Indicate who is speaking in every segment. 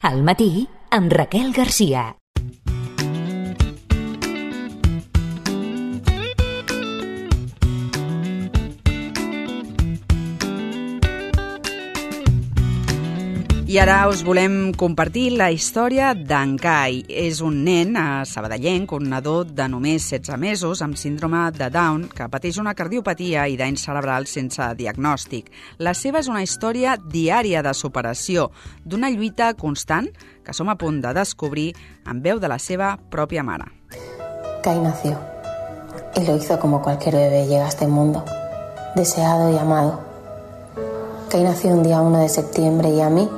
Speaker 1: Al matí, amb Raquel Garcia.
Speaker 2: I ara us volem compartir la història d'en Kai. És un nen sabadellenc, un nadó de només 16 mesos amb síndrome de Down que pateix una cardiopatia i dany cerebral sense diagnòstic. La seva és una història diària de superació, d'una lluita constant que som a punt de descobrir en veu de la seva pròpia mare.
Speaker 3: Kai nació y lo hizo como cualquier bebé llega a este mundo, deseado y amado. Kai nació un día 1 de septiembre y a mí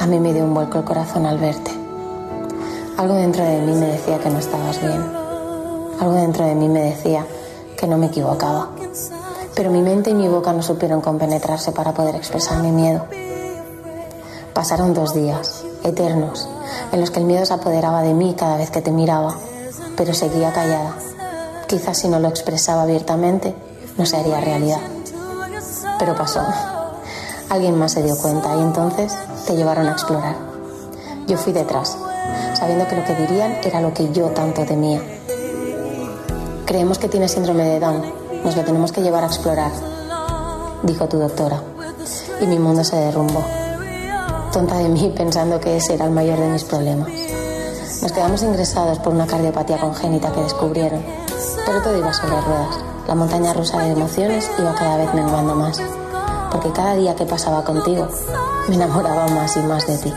Speaker 3: me dio un vuelco el corazón al verte. Algo dentro de mí me decía que no estabas bien. Algo dentro de mí me decía que no me equivocaba. Pero mi mente y mi boca no supieron compenetrarse para poder expresar mi miedo. Pasaron 2 días, eternos, en los que el miedo se apoderaba de mí cada vez que te miraba, pero seguía callada. Quizás si no lo expresaba abiertamente, no se haría realidad. Pero pasó. Alguien más se dio cuenta y entonces te llevaron a explorar. Yo fui detrás, sabiendo que lo que dirían era lo que yo tanto temía. Creemos que tienes síndrome de Down, nos lo tenemos que llevar a explorar, dijo tu doctora, y mi mundo se derrumbó. Tonta de mí pensando que ese era el mayor de mis problemas. Nos quedamos ingresados por una cardiopatía congénita que descubrieron, pero todo iba sobre ruedas. La montaña rusa de emociones iba cada vez menguando más, porque cada día que pasaba contigo me enamoraba más y más de ti.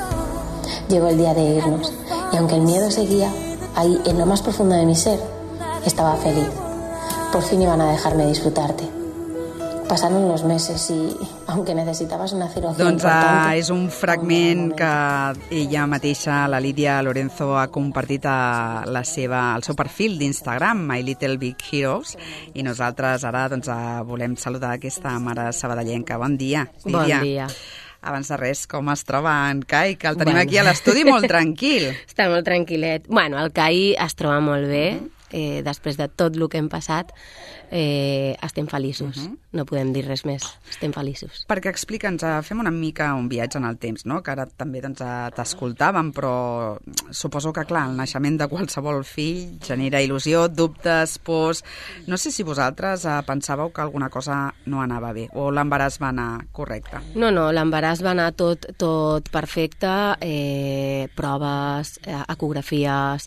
Speaker 3: Llegó el día de irnos, y aunque el miedo seguía, ahí en lo más profundo de mi ser, estaba feliz. Por fin iban a dejarme disfrutarte. Pasaron los meses i, aunque necessitabas una cirugía importante...
Speaker 2: És un fragment que ella mateixa, la Lídia Lorenzo, ha compartit al seu perfil d'Instagram, My Little Big Heroes, i nosaltres ara volem saludar aquesta mare sabadellenca. Bon dia, Lídia.
Speaker 4: Bon dia.
Speaker 2: Abans de res, com es troba en Kai, que el tenim aquí a l'estudi molt tranquil.
Speaker 4: Està molt tranquil·let. Bueno, el Kai es troba molt bé, després de tot el que hem passat. Estem feliços, no podem dir res més, estem feliços.
Speaker 2: Perquè explica'ns, fem una mica un viatge en el temps, no? Que ara també t'escoltàvem, però suposo que, clar, el naixement de qualsevol fill genera il·lusió, dubtes, pors... No sé si vosaltres pensàveu que alguna cosa no anava bé, o l'embaràs va anar correcte.
Speaker 4: No, l'embaràs va anar tot perfecte, proves, ecografies...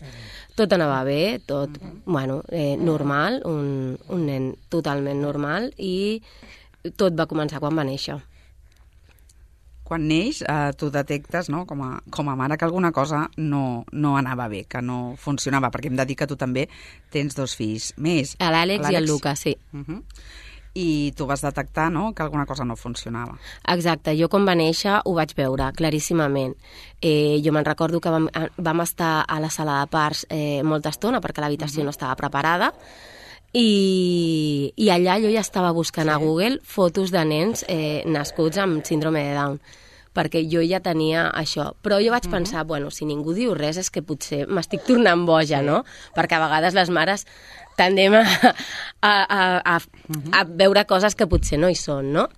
Speaker 4: Tot anava bé, tot, normal, un nen totalment normal, i tot va començar quan va néixer.
Speaker 2: Quan neix, tu detectes, no, com a mare, que alguna cosa no anava bé, que no funcionava, perquè hem de dir que tu també tens 2 fills més.
Speaker 4: L'Àlex i el Lucas, sí.
Speaker 2: I tu vas detectar, no?, que alguna cosa no funcionava.
Speaker 4: Exacte, jo quan va néixer ho vaig veure claríssimament. Jo me'n recordo que vam estar a la sala de parts molta estona perquè l'habitació no estava preparada, i allà jo ja estava buscant a Google fotos de nens nascuts amb síndrome de Down, perquè jo ja tenia això. Però jo vaig pensar, si ningú diu res és que potser m'estic tornant boja, no? Perquè a vegades les mares tendem a veure coses que potser no hi són, no?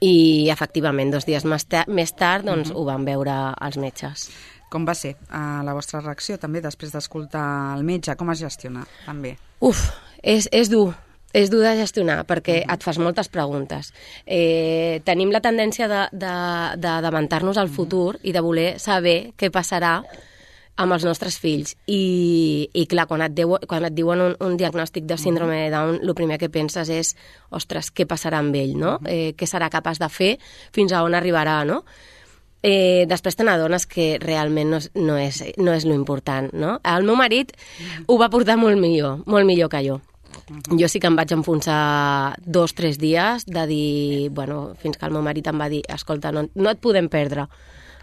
Speaker 4: I, efectivament, 2 dies més tard, doncs, ho van veure els metges.
Speaker 2: Com va ser la vostra reacció, també, després d'escoltar el metge? Com es gestiona, també?
Speaker 4: És dur. És dur de gestionar, perquè et fas moltes preguntes. Tenim la tendència d'avançar-nos al futur i de voler saber què passarà amb els nostres fills. I clar, quan et diuen un diagnòstic de síndrome de Down, el primer que penses és, ostres, què passarà amb ell, no? Què serà capaç de fer, fins a on arribarà, no? Després te n'adones que realment no és lo important, no? El meu marit ho va portar molt millor que jo. Jo sí que em vaig enfonsar 2-3 dies de dir, fins que el meu marit em va dir, escolta, no et podem perdre,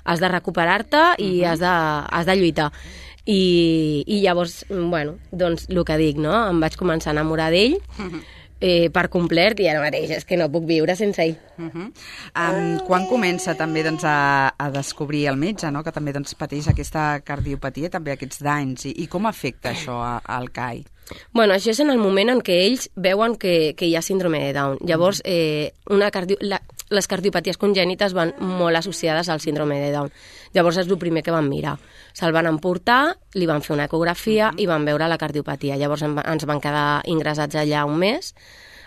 Speaker 4: has de recuperar-te i has de lluitar. I llavors, doncs el que dic, no? Em vaig començar a enamorar d'ell per complet i ara mateix és que no puc viure sense ell.
Speaker 2: Quan comença també a descobrir el metge, no? Que també pateix aquesta cardiopatia, també aquests danys, i com afecta això al Kai?
Speaker 4: Això és en el moment en què ells veuen que hi ha síndrome de Down. Llavors, les cardiopaties congènites van molt associades al síndrome de Down. Llavors és el primer que van mirar. Se'l van emportar, li van fer una ecografia i van veure la cardiopatia. Llavors ens van quedar ingressats allà un mes,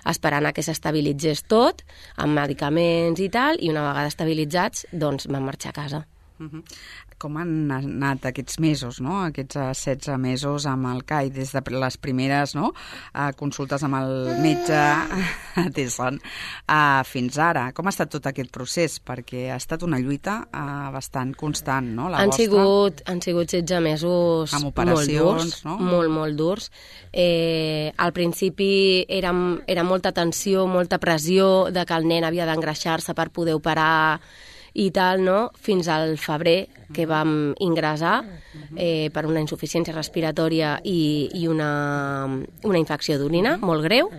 Speaker 4: esperant a que s'estabilitzés tot, amb medicaments i tal, i una vegada estabilitzats, doncs vam marxar a casa.
Speaker 2: Com han anat aquests mesos, no? Aquests 16 mesos amb el CAI, des de les primeres consultes amb el metge Tesson fins ara? Com ha estat tot aquest procés? Perquè ha estat una lluita bastant constant, no? La vostra.
Speaker 4: Han sigut 16 mesos
Speaker 2: amb operacions,
Speaker 4: molt durs, molt durs. Al principi era molta tensió, molta pressió de que el nen havia d'engreixar-se per poder operar i tal, no? Fins al febrer, que vam ingressar per una insuficiència respiratòria i una infecció d'orina molt greu,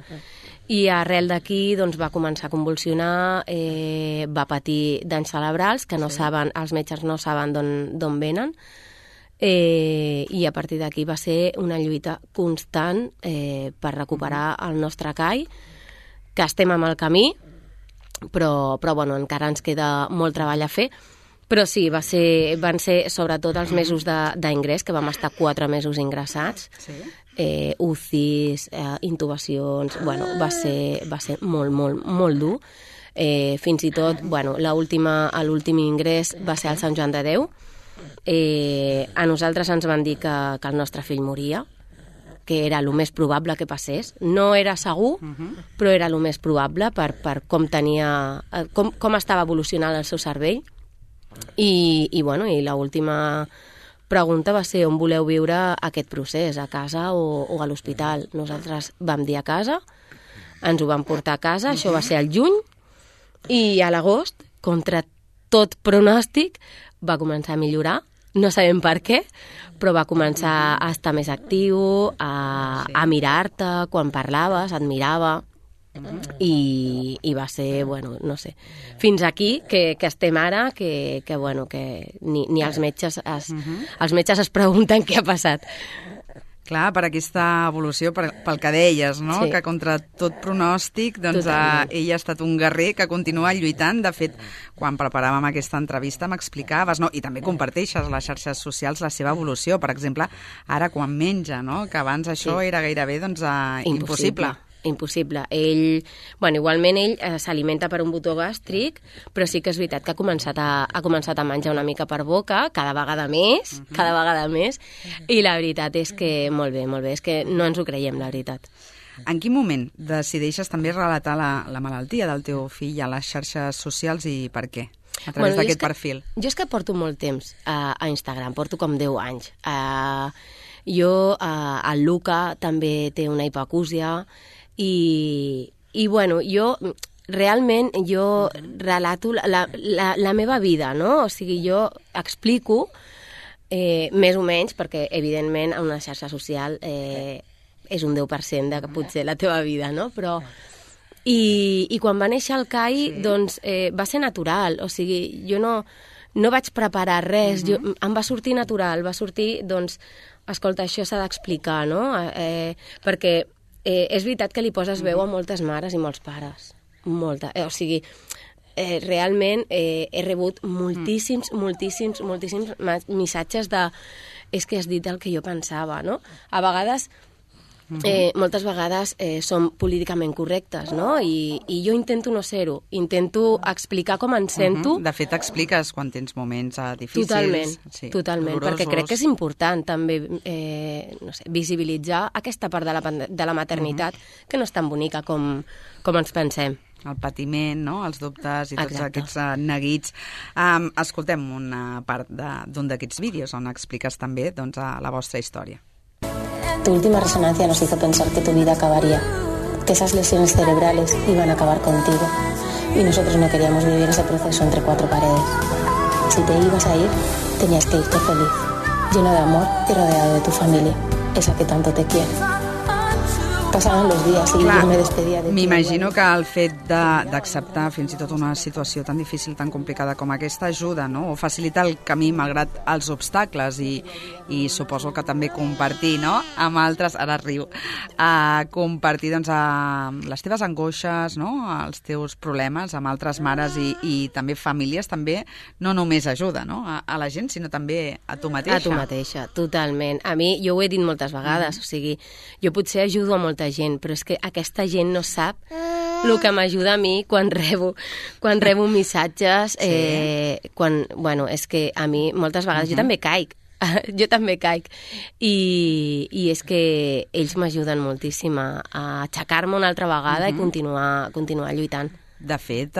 Speaker 4: i arrel d'aquí doncs, va començar a convulsionar, va patir danys cerebrals que els metges no saben d'on venen, i a partir d'aquí va ser una lluita constant per recuperar el nostre CAI, que estem amb el camí, però bueno, encara ens queda molt treball a fer. Però sí, van ser sobretot els mesos d'ingrés, que vam estar 4 mesos ingressats, UCIs, intubacions, bueno, va ser molt dur. Fins i tot, bueno, l'últim ingrés va ser al Sant Joan de Déu. A nosaltres ens van dir que el nostre fill moria, que era el més probable que passés. No era segur, però era el més probable per com estava evolucionant el seu cervell. I l'última pregunta va ser on voleu viure aquest procés, a casa o a l'hospital. Nosaltres vam dir a casa, ens ho vam portar a casa, això va ser al juny, i a l'agost, contra tot pronòstic, va començar a millorar. No sabem per què, però va començar a estar més actiu, a mirar-te, quan parlaves, et mirava, i va ser, bueno, no sé, fins aquí que estem ara, que ni els metges es pregunten què ha passat.
Speaker 2: Clar, per aquesta evolució, pel que deies, no? Sí. Que contra tot pronòstic, doncs ell ha estat un guerrer que continua lluitant. De fet, quan preparàvem aquesta entrevista m'explicaves, no? I també comparteixes a les xarxes socials la seva evolució. Per exemple, ara quan menja, no? Que abans això era gairebé impossible.
Speaker 4: Impossible. Igualment ell s'alimenta per un botó gàstric, però sí que és veritat que ha començat a menjar una mica per boca, cada vegada més, i la veritat és que molt bé, és que no ens ho creiem, la veritat.
Speaker 2: En quin moment decideixes també relatar la malaltia del teu fill a les xarxes socials i per què? A través d'aquest perfil.
Speaker 4: Jo és que porto molt temps a Instagram, porto com 10 anys. El Luca també té una hipacúsia, i bueno, jo realment relato la meva vida, no? O sigui, jo explico més o menys, perquè evidentment a una xarxa social és un 10% de potser la teva vida, no? Però i quan va néixer el CAI, doncs va ser natural, o sigui, jo no vaig preparar res, em va sortir natural, va sortir, doncs, escolta, això s'ha d'explicar, no? Perquè és veritat que li poses veu a moltes mares i molts pares. O sigui, realment he rebut moltíssims missatges de és que has dit el que jo pensava, no? A vegades, moltes vegades som políticament correctes, no? I jo intento no ser-ho, intento explicar com em sento.
Speaker 2: De fet, expliques quan tens moments difícils.
Speaker 4: Totalment, perquè crec que és important també visibilitzar aquesta part de la maternitat que no és tan bonica com ens pensem.
Speaker 2: El patiment, no? Els dubtes i tots aquests neguits. Escoltem una part d'un d'aquests vídeos on expliques també la vostra història.
Speaker 3: Tu última resonancia nos hizo pensar que tu vida acabaría, que esas lesiones cerebrales iban a acabar contigo, y nosotros no queríamos vivir ese proceso entre 4 paredes. Si te ibas a ir, tenías que irte feliz, lleno de amor y rodeado de tu familia, esa que tanto te quiere. Pasaban los días y yo me despedía de ti.
Speaker 2: M'imagino que el fet d'acceptar fins i tot una situació tan difícil, tan complicada com aquesta, ajuda, no? O facilita el camí malgrat els obstacles i suposo que també compartir, no?, amb altres, ara riu, compartir doncs, les teves angoixes, no?, els teus problemes amb altres mares i també famílies, també no només ajuda, no?, a la gent, sinó també a tu mateixa.
Speaker 4: A tu mateixa, totalment. A mi, jo ho he dit moltes vegades, o sigui, jo potser ajudo a molta gent, però és que aquesta gent no sap el que m'ajuda a mi quan rebo missatges, bueno, és que a mi moltes vegades jo també caic, i és que ells m'ajuden moltíssim a aixecar-me una altra vegada i continuar lluitant.
Speaker 2: De fet,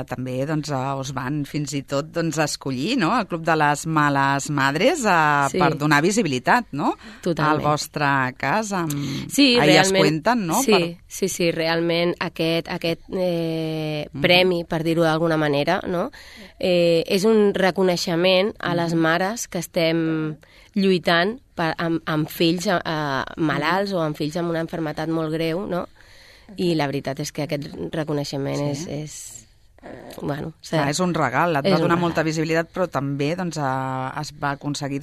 Speaker 2: també doncs, us van fins i tot escollir, no?, el Club de les Males Madres per donar visibilitat, no?,
Speaker 4: totalment,
Speaker 2: al vostre cas.
Speaker 4: Sí,
Speaker 2: elles cuenten, no?
Speaker 4: Sí, realment aquest premi, per dir-ho d'alguna manera, no?, és un reconeixement a les mares que estem lluitant amb fills malalts o amb fills amb una malaltia molt greu, no?, i la veritat és que aquest reconeixement és bueno...
Speaker 2: És un regal, et va donar molta visibilitat, però també es va aconseguir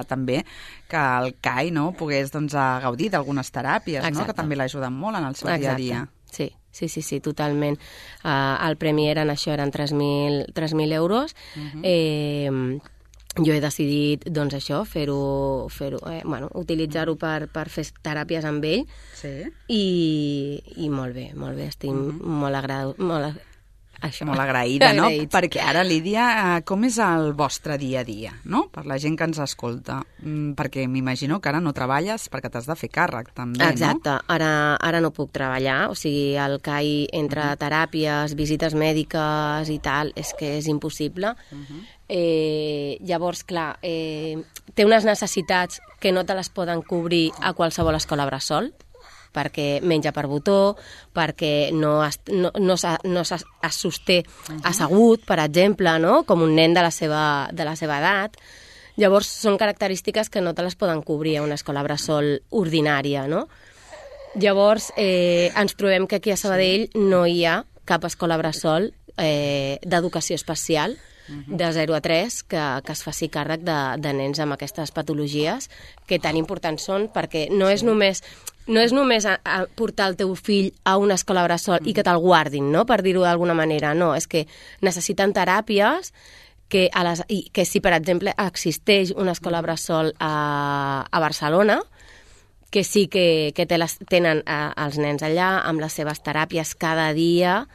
Speaker 2: també que el CAI pogués gaudir d'algunes teràpies, no?, que també l'ajuden molt en el seu dia a dia.
Speaker 4: Sí, totalment. El premi eren 3.000 euros. Jo he decidit, doncs això, utilitzar-ho per fer teràpies amb ell.
Speaker 2: Sí.
Speaker 4: I molt bé, estic molt
Speaker 2: agraïda, no? Perquè ara, Lídia, com és el vostre dia a dia, no?, per la gent que ens escolta? Perquè m'imagino que ara no treballes perquè t'has de fer càrrec, també, no?
Speaker 4: Exacte, ara no puc treballar, o sigui, el CAI entre teràpies, visites mèdiques i tal, és que és impossible. Llavors, clar, té unes necessitats que no te les poden cobrir a qualsevol escola bressol, perquè menja per botó, perquè no es sosté assegut, per exemple, no?, com un nen de la seva edat. Llavors, són característiques que no te les poden cobrir a una escola bressol ordinària, no? Llavors, ens trobem que aquí a Sabadell no hi ha cap escola bressol d'educació especial de 0 a 3 que es faci càrrec de nens amb aquestes patologies que tan importants són, perquè no és només portar el teu fill a una escola bressol i que te'l guardin, no?, per dir-ho d'alguna manera. No, és que necessiten teràpies que si, per exemple, existeix una escola bressol a Barcelona, que sí que tenen els nens allà amb les seves teràpies cada dia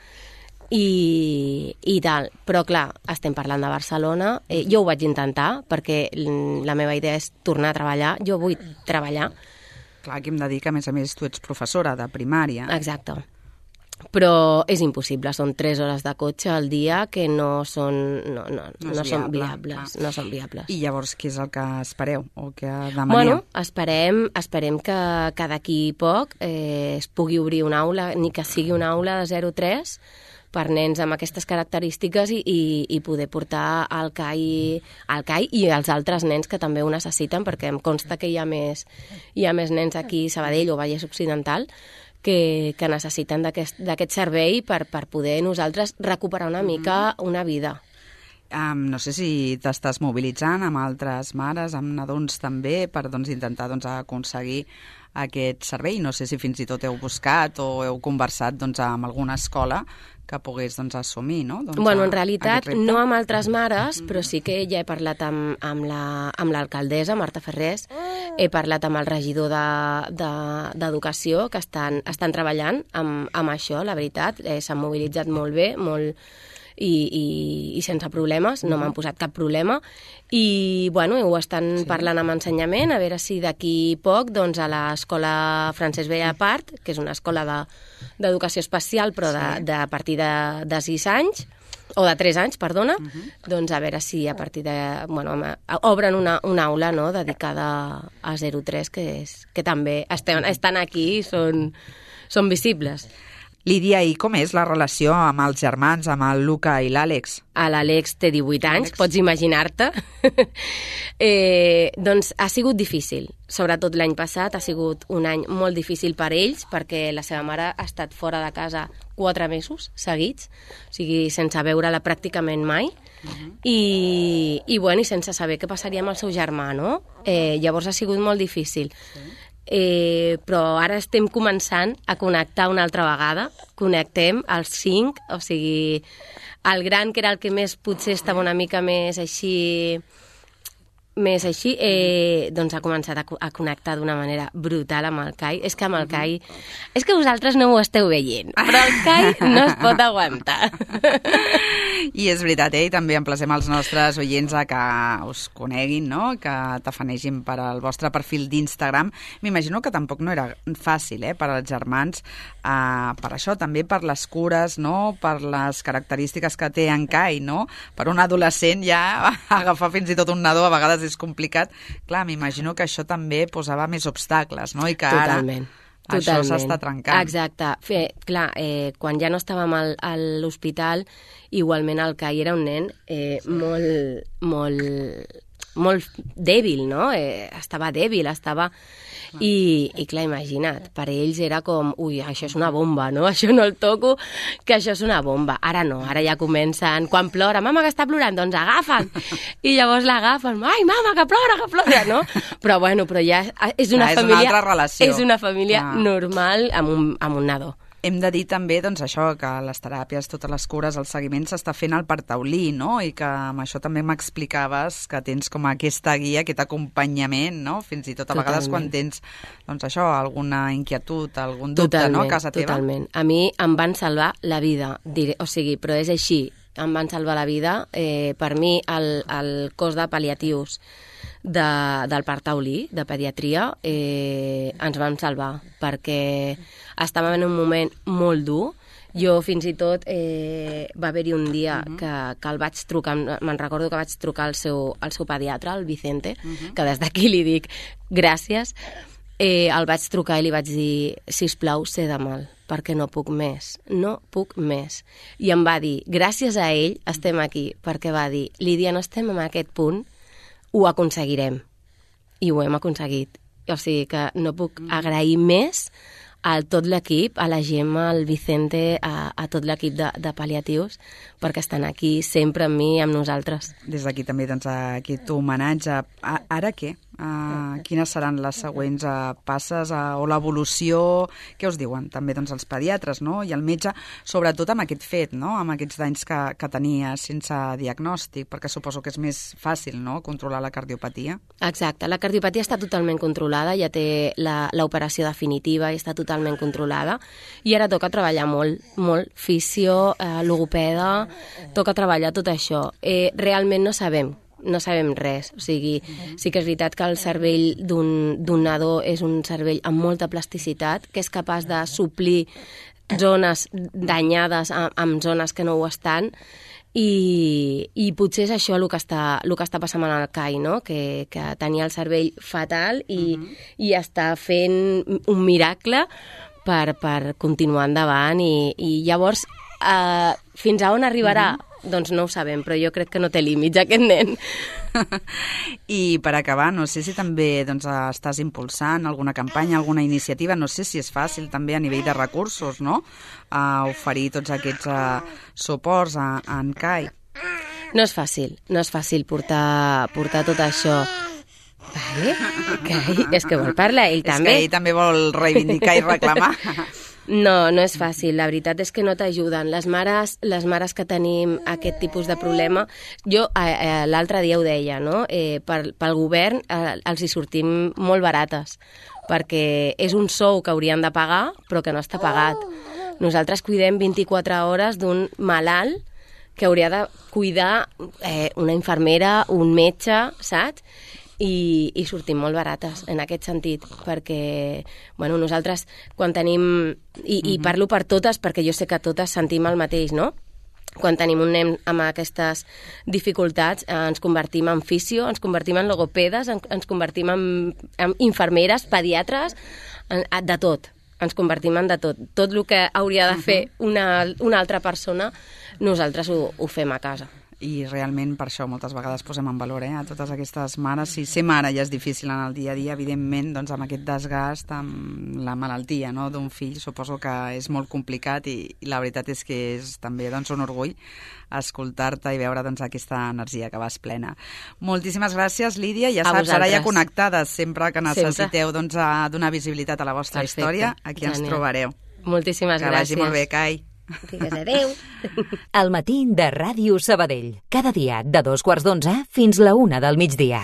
Speaker 4: i tal. Però, clar, estem parlant de Barcelona. Jo ho vaig intentar perquè la meva idea és tornar a treballar. Jo vull treballar.
Speaker 2: Clar, aquí hem de dir que, a més, tu ets professora de primària.
Speaker 4: Exacte. Però és impossible, són 3 hores de cotxe al dia que no són viables. No són viables.
Speaker 2: I llavors, què és el que espereu o què demaneu?
Speaker 4: Bueno, esperem que d'aquí poc es pugui obrir una aula, ni que sigui una aula de 0-3, per nens amb aquestes característiques i poder portar al CAI i als altres nens que també ho necessiten, perquè em consta que hi ha més nens aquí a Sabadell o Vallès Occidental que necessiten d'aquest servei per poder nosaltres recuperar una mica una vida.
Speaker 2: No sé si t'estàs mobilitzant amb altres mares, amb nadons també, per intentar aconseguir aquest servei. No sé si fins i tot heu buscat o heu conversat amb alguna escola que pogués assumir, no?
Speaker 4: Bueno, en realitat no amb altres mares, però sí que ja he parlat amb l'alcaldessa, Marta Ferrés, he parlat amb el regidor d'Educació, que estan treballant amb això, la veritat. S'han mobilitzat molt bé, i sense problemes, no m'han posat cap problema, i bueno, ho estan parlant amb ensenyament, a veure si d'aquí poc a l'escola Francesc Bellapart, que és una escola d'educació especial, però a partir de 6 anys, o de 3 anys, perdona, a veure si a partir obren una aula, no?, dedicada a 0-3, que també estan aquí i són visibles.
Speaker 2: Lídia, i com és la relació amb els germans, amb el Luca i l'Àlex?
Speaker 4: L'Àlex té 18 anys, pots imaginar-te. Doncs ha sigut difícil. Sobretot l'any passat ha sigut un any molt difícil per ells, perquè la seva mare ha estat fora de casa 4 mesos seguits, o sigui, sense veure-la pràcticament mai, i sense saber què passaria amb el seu germà, no? Llavors ha sigut molt difícil. Però ara estem començant a connectar una altra vegada. Connectem els 5, o sigui, el gran, que era el que més potser estava una mica més així, doncs ha començat a connectar d'una manera brutal amb el Kai. És que amb el Kai... És que vosaltres no ho esteu veient, però el Kai no es pot aguantar.
Speaker 2: I és veritat, i també emplacem els nostres oients a que us coneguin, no? Que tafanegin per al vostre perfil d'Instagram. M'imagino que tampoc no era fàcil, per als germans, per això, també per les cures, no? Per les característiques que té en Kai, no? Per un adolescent ja agafar fins i tot un nadó a vegades és complicat. Clar, m'imagino que això també posava més obstacles, no? I que
Speaker 4: Totalment.
Speaker 2: Això s'està trencant.
Speaker 4: Exacte. Clar, quan ja no estàvem a l'hospital, igualment el Kai era un nen molt dèbil, no? Estava dèbil, I clar, imagina't, per ells era com, això és una bomba, no? Això no el toco, que això és una bomba. Ara no, ara ja comencen, quan plora, mama que està plorant, doncs agafa'n. I llavors l'agafen, ai, mama, que plora, no? Però ja és una família... És una
Speaker 2: altra relació.
Speaker 4: És una família normal amb un nadó.
Speaker 2: Hem de dir també, doncs, això, que les teràpies, totes les cures, el seguiment s'està fent al partaulí, no? I que amb això també m'explicaves que tens com aquesta guia, aquest acompanyament, no? Fins i tot a vegades quan tens, doncs això, alguna inquietud, algun dubte, no? A casa teva.
Speaker 4: Totalment. A mi em van salvar la vida, però és així, em van salvar la vida. Per mi, el cos de pal·liatius del Parc Taulí, de pediatria, ens van salvar, perquè estàvem en un moment molt dur. Jo fins i tot va haver-hi un dia que el vaig trucar, me'n recordo que vaig trucar al seu pediatre, el Vicente, que des d'aquí li dic gràcies. El vaig trucar i li vaig dir, sisplau, sé de mal, perquè no puc més. I em va dir, gràcies a ell estem aquí, perquè va dir, Lídia, no estem en aquest punt, ho aconseguirem. I ho hem aconseguit. O sigui que no puc agrair més a tot l'equip, a la Gemma, al Vicente, a tot l'equip de pal·liatius, perquè estan aquí sempre amb mi i amb nosaltres.
Speaker 2: Des d'aquí també, doncs, aquest homenatge. Ara què? Quines seran les següents passes o l'evolució? Què us diuen també, doncs, els pediatres, no? I el metge, sobretot amb aquest fet, no? Amb aquests danys que tenia sense diagnòstic, perquè suposo que és més fàcil, no?, controlar la cardiopatia.
Speaker 4: Exacte, la cardiopatia està totalment controlada, ja té l'operació definitiva i està totalment controlada, i ara toca treballar molt, fisio, logopeda, toca treballar tot això. Realment no sabem res, o sigui, sí que és veritat que el cervell d'un nadó és un cervell amb molta plasticitat, que és capaç de suplir zones danyades amb zones que no ho estan, i potser és això el que està passant amb el Kai, no? Que tenia el cervell fatal i està fent un miracle per continuar endavant, i llavors fins a on arribarà? Doncs no ho sabem, però jo crec que no té límits aquest nen.
Speaker 2: I per acabar, no sé si també, doncs, estàs impulsant alguna campanya, alguna iniciativa, no sé si és fàcil també a nivell de recursos, no?, a oferir tots aquests suports a en Kai.
Speaker 4: No és fàcil portar tot això. Vale? Kai, és que vol parlar ell també.
Speaker 2: És que ell també vol reivindicar i reclamar.
Speaker 4: No és fàcil, la veritat és que no t'ajuden. Les mares que tenim aquest tipus de problema, jo l'altre dia ho deia, no? Pel govern els hi sortim molt barates, perquè és un sou que haurien de pagar, però que no està pagat. Nosaltres cuidem 24 hores d'un malalt que hauria de cuidar una infermera, un metge, saps? I sortim molt barates en aquest sentit, perquè nosaltres quan tenim, i parlo per totes perquè jo sé que totes sentim el mateix, no? Quan tenim un nen amb aquestes dificultats ens convertim en fisio, ens convertim en logopedes, ens convertim en infermeres, pediatres, de tot. ens convertim en de tot. Tot el que hauria de fer una altra persona, nosaltres ho fem a casa.
Speaker 2: I realment per això moltes vegades posem en valor a totes aquestes mares. Si ser mare ja és difícil en el dia a dia, evidentment, doncs amb aquest desgast, amb la malaltia d'un fill, suposo que és molt complicat i la veritat és que és també un orgull escoltar-te i veure aquesta energia que vas plena. Moltíssimes gràcies, Lídia. Ja saps, ara ja connectades, sempre que necessiteu donar visibilitat a la vostra història, aquí ens trobareu.
Speaker 4: Moltíssimes gràcies.
Speaker 2: Que vagi molt bé, Cai.
Speaker 4: Digues adéu.
Speaker 1: El matí de Ràdio Sabadell. Cada dia de 2:15 fins la 1 del migdia.